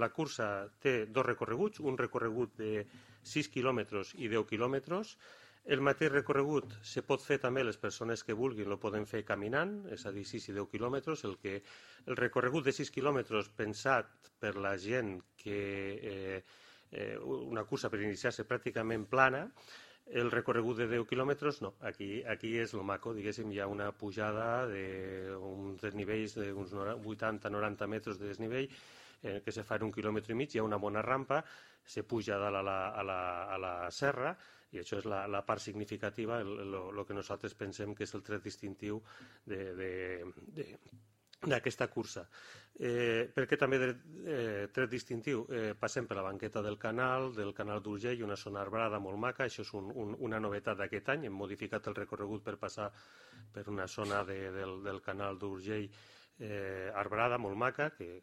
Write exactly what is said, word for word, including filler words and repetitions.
La cursa té dos recorreguts, un recorregut de sis quilòmetres i deu quilòmetres. El mateix recorregut se pot fer també, les persones que vulguin lo poden fer caminant, és a dir, sis i deu quilòmetres. El, que, el recorregut de sis quilòmetres pensat per la gent que eh, eh, una cursa per iniciar-se pràcticament plana. El recorregut de deu quilòmetres, no, aquí, aquí és el maco, diguéssim, hi ha una pujada d'uns desnivells d'uns vuitanta noranta metres de desnivell, eh, que se fa en un quilòmetre i mig, hi ha una bona rampa, se puja dalt a la, a la, a la serra, i això és la, la part significativa, el, el, el que nosaltres pensem que és el tret distintiu de, de, de, d'aquesta cursa. Eh, perquè també de eh, tret distintiu, eh, passem per la banqueta del canal, del canal d'Urgell, una zona arbrada molt maca, això és un, un, una novetat d'aquest any, hem modificat el recorregut per passar per una zona de, del, del canal d'Urgell eh, arbrada, molt maca, que